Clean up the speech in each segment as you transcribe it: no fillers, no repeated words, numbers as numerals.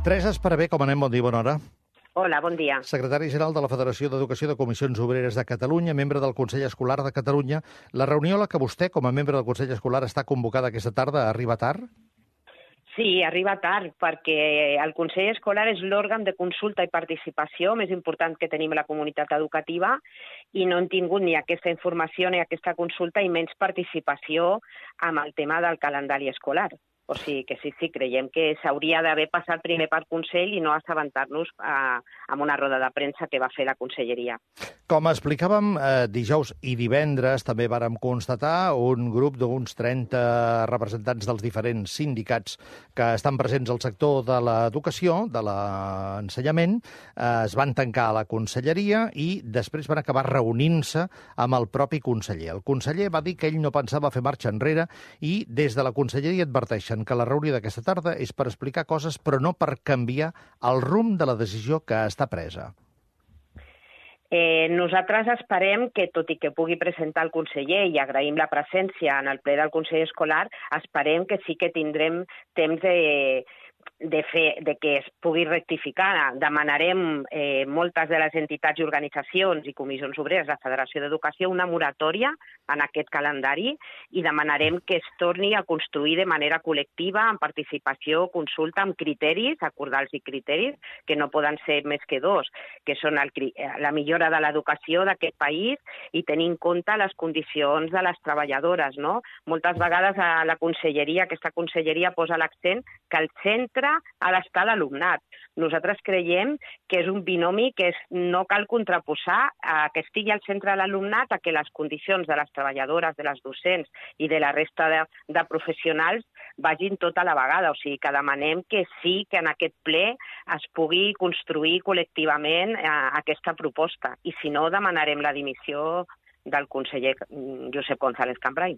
Teresa Esparvé, com anem? Bon dia, bona hora. Hola, bon dia. Secretari general de la Federació d'Educació de Comissions Obreres de Catalunya, membre del Consell Escolar de Catalunya. La reunió a la que vostè, com a membre del Consell Escolar, està convocada aquesta tarda, arriba tard? Sí, arriba tard, perquè el Consell Escolar és l'òrgan de consulta i participació més important que tenim a la comunitat educativa i no hem tingut ni aquesta informació ni aquesta consulta i menys participació amb el tema del calendari escolar. O sigui que sí, creiem que s'hauria d'haver passat primer per Consell i no assabentar-nos amb una roda de premsa que va fer la Conselleria. Com explicàvem, dijous i divendres també vàrem constatar un grup d'uns 30 representants dels diferents sindicats que estan presents al sector de l'educació, de l'ensenyament, es van tancar a la Conselleria i després van acabar reunint-se amb el propi conseller. El conseller va dir que ell no pensava fer marxa enrere i des de la Conselleria adverteixen que la reunió d'aquesta tarda és per explicar coses però no per canviar el rumb de la decisió que està presa. Nosaltres esperem que, tot i que pugui presentar el conseller i agraïm la presència en el ple del Consell Escolar, esperem que sí que tindrem temps de que es pugui rectificar. Demanarem moltes de les entitats i organitzacions i comissions obreres de la Federació d'Educació una moratòria en aquest calendari i demanarem que es torni a construir de manera col·lectiva, amb participació, consulta, amb criteris, acordar els criteris, que no poden ser més que dos, que són la millora de l'educació d'aquest país i tenir en compte les condicions de les treballadores, no? Moltes vegades a la conselleria, aquesta conselleria posa l'accent que el centre ha d'estar l'alumnat. Nosaltres creiem que és un binomi que no cal contraposar que estigui al centre de l'alumnat a que les condicions de les treballadores, de les docents i de la resta de professionals vagin tota la vegada. O sigui que demanem que sí que en aquest ple es pugui construir col·lectivament aquesta proposta. I si no, demanarem la dimissió del conseller Josep González Cambray.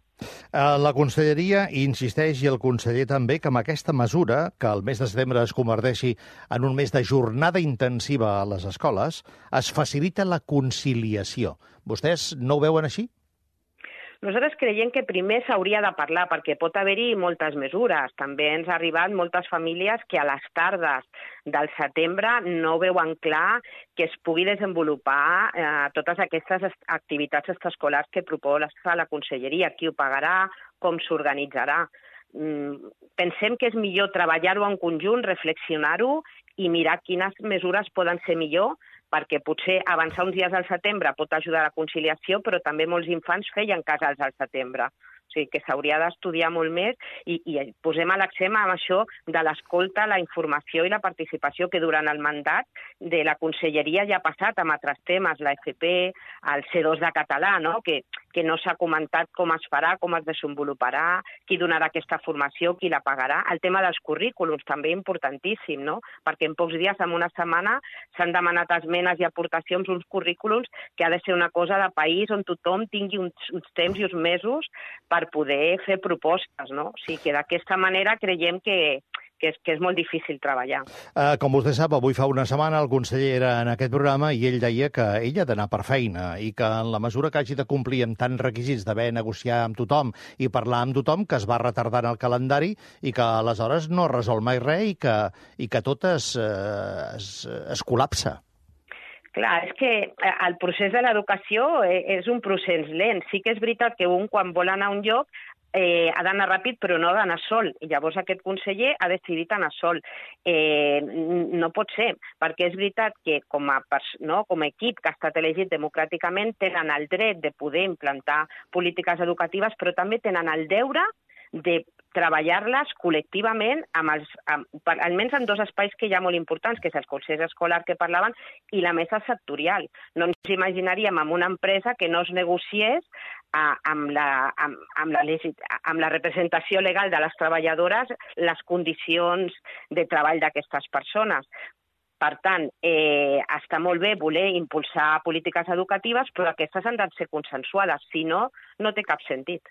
La Conselleria insisteix, i el conseller també, que amb aquesta mesura, que el mes de setembre es converteixi en un mes de jornada intensiva a les escoles, es facilita la conciliació. Vostès no ho veuen així? Nosaltres creiem que primer s'hauria de parlar, perquè pot haver-hi moltes mesures. També ens ha arribat moltes famílies que a les tardes del setembre no veuen clar que es pugui desenvolupar totes aquestes activitats extraescolars que proposa la Conselleria. Qui ho pagarà, com s'organitzarà. Pensem que és millor treballar-ho en conjunt, reflexionar-ho i mirar quines mesures poden ser millor, perquè potser avançar uns dies al setembre pot ajudar a la conciliació, però també molts infants feien casals al setembre. O sigui que s'hauria d'estudiar molt més i posem l'accent amb això de l'escolta, la informació i la participació que durant el mandat de la Conselleria ja ha passat amb altres temes, la FP, el C2 de català, no? Que no s'ha comentat com es farà, com es desenvoluparà, qui donarà aquesta formació, qui la pagarà. El tema dels currículums també importantíssim, no? Perquè en pocs dies, en una setmana, s'han demanat esmenes i aportacions, uns currículums que ha de ser una cosa de país on tothom tingui uns temps i uns mesos per poder fer propostes, no? O sigui que d'aquesta manera creiem que és molt difícil treballar. Com vostè sap, avui fa una setmana el conseller era en aquest programa i ell deia que ell ha d'anar per feina i que en la mesura que hagi de complir amb tants requisits d'haver negociar amb tothom i parlar amb tothom, que es va retardant el calendari i que aleshores no resol mai res i que tot es col·lapsa. Clar, és que el procés de l'educació és un procés lent. Sí que és veritat que un, quan vol anar a un lloc, ha d'anar ràpid, però no ha d'anar sol. I llavors aquest conseller ha decidit anar sol. No pot ser, perquè és veritat que com a equip que ha estat elegit democràticament tenen el dret de poder implantar polítiques educatives, però també tenen el deure de treballar-les col·lectivament, almenys en dos espais que hi ha molt importants, que és el Consell Escolar que parlaven i la mesa sectorial. No ens imaginaríem en una empresa que no es negociés amb la representació legal de les treballadores les condicions de treball d'aquestes persones. Per tant, està molt bé voler impulsar polítiques educatives, però aquestes han de ser consensuades. Si no, no té cap sentit.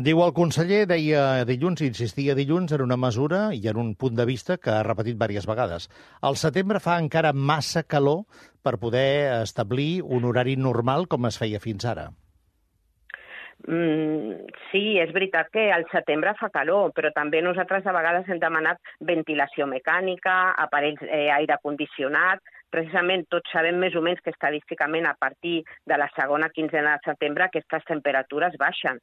Diu el conseller, deia dilluns, insistia dilluns en una mesura i en un punt de vista que ha repetit diverses vegades. Al setembre fa encara massa calor per poder establir un horari normal com es feia fins ara. Sí, és veritat que al setembre fa calor, però també nosaltres a vegades hem demanat ventilació mecànica, aparells aire condicionat. Precisament tots sabem més o menys que estadísticament a partir de la segona quinzena de setembre aquestes temperatures baixen.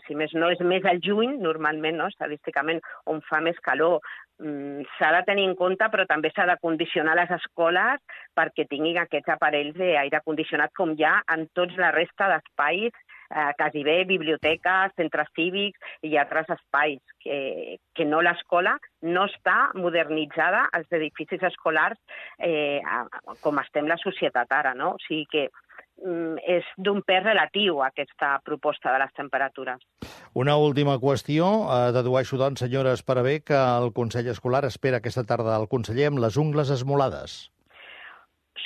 Si més no, és més al juny, normalment, no? Estadísticament, on fa més calor. S'ha de tenir en compte, però també s'ha de condicionar les escoles perquè tinguin aquests aparells d'aire condicionat com hi ha en tots la resta d'espais, quasi bé biblioteques, centres cívics i altres espais, que no l'escola no està modernitzada, els edificis escolars, com estem la societat ara, no? O sigui que és d'un pes relatiu aquesta proposta de les temperatures. Una última qüestió. Dedueixo, doncs, senyora Esparavé, que el Consell Escolar espera aquesta tarda el conseller amb les ungles esmolades.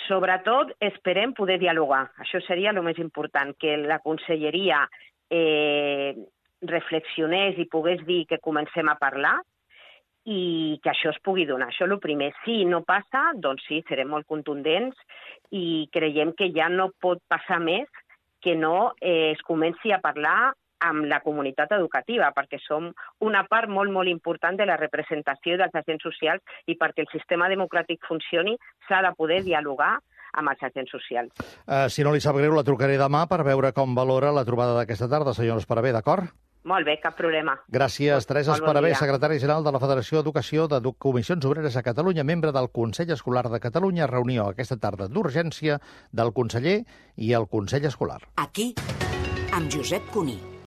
Sobretot, esperem poder dialogar. Això seria el més important, que la conselleria reflexionés i pogués dir que comencem a parlar i que això es pugui donar. Això és el primer. Si no passa, doncs sí, serem molt contundents i creiem que ja no pot passar més que no es comenci a parlar amb la comunitat educativa, perquè som una part molt, molt important de la representació dels agents socials i perquè el sistema democràtic funcioni s'ha de poder dialogar amb els agents socials. Si no li sap greu, la trucaré demà per veure com valora la trobada d'aquesta tarda, senyora Esparavé, d'acord? Molt bé, cap problema. Gràcies. Teresa Esparavé, secretària general de la Federació d'Educació de Comissions Obreres a Catalunya, membre del Consell Escolar de Catalunya, reunió aquesta tarda d'urgència del conseller i el Consell Escolar. Aquí, amb Josep Cuní.